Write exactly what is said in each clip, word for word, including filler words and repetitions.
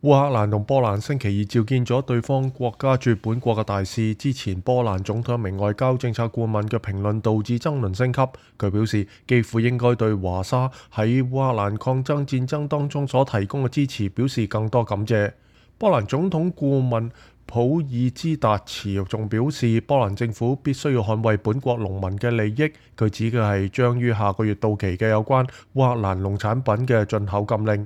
烏克蘭同波蘭星期二召見咗對方國家駐本國嘅大使。之前波蘭總統一名外交政策顧問嘅評論導致爭論升級。佢表示，基輔應該對華沙喺烏克蘭抗爭戰爭當中所提供嘅支持表示更多感謝。波蘭總統顧問普爾茲達茨仲表示，波蘭政府必須要捍衛本國農民嘅利益。佢指嘅係將於下個月到期嘅有關烏克蘭農產品嘅進口禁令。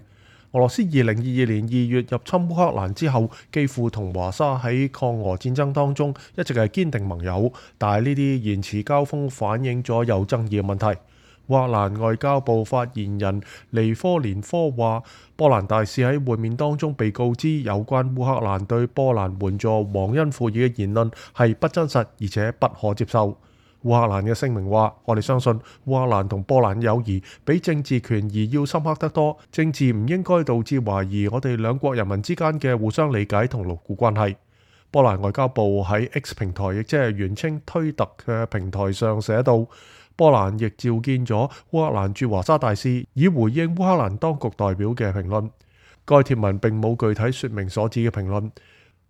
俄羅斯二零二二年二月入侵烏克蘭之後，基輔同華沙喺抗俄戰爭當中一直係堅定盟友，但係呢啲言辭交鋒反映咗有爭議嘅問題。烏克蘭外交部發言人尼科連科話，波蘭大使喺會面當中被告知有關烏克蘭對波蘭援助忘恩負義嘅言論係不真實而且不可接受。烏克蘭嘅聲明話，我哋相信烏克蘭同波蘭友誼比政治權宜要深刻得多，政治唔應該導致懷疑我哋兩國人民之間嘅互相理解同牢固關係。波蘭外交部喺 X 平台，亦即係原稱推特嘅平台上寫道，波蘭亦召見咗烏克蘭駐華沙大使，以回應烏克蘭當局代表嘅評論。該帖文並冇具體說明所指嘅評論。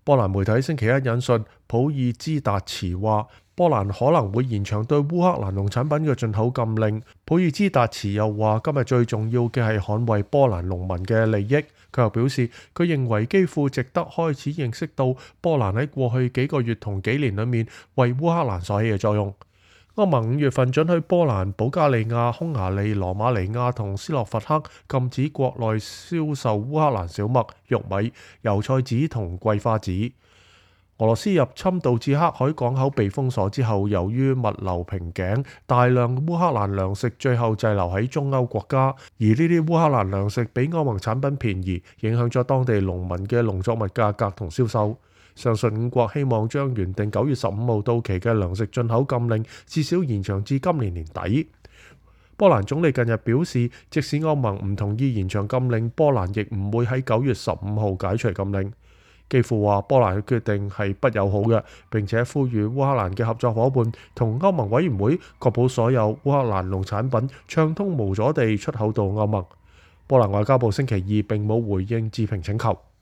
波蘭媒體星期一引述普爾茲達茨話，波蘭可能會延長對烏克蘭農產品嘅進口禁令。普爾茲達茨又話，今日最重要嘅係捍衛波蘭農民嘅利益。佢又表示，佢認為基輔值得開始認識到波蘭喺過去幾個月同幾年裏面為烏克蘭所起嘅作用。歐盟五月份准許波蘭、保加利亞、匈牙利、羅馬尼亞同斯洛伐克禁止國內銷售烏克蘭小麥、玉米、油菜籽同桂花籽。俄羅斯入侵導致黑海港口被封鎖之後，由於物流瓶頸，大量烏克蘭糧食最後滯留喺中歐國家，而呢啲烏克蘭糧食比歐盟產品便宜，影響咗當地農民嘅農作物價格同銷售。上述五國希望將原定九月十五號到期嘅糧食進口禁令至少延長至今年年底。波蘭總理近日表示，即使歐盟唔同意延長禁令，波蘭亦唔會喺九月十五號解除禁令。基輔話波蘭嘅決定係不友好嘅，並且呼籲烏克蘭嘅合作夥伴同歐盟委員會確保所有烏克蘭農產品暢通無阻地出口到歐盟。波蘭外交部星期二並冇回應置評請求。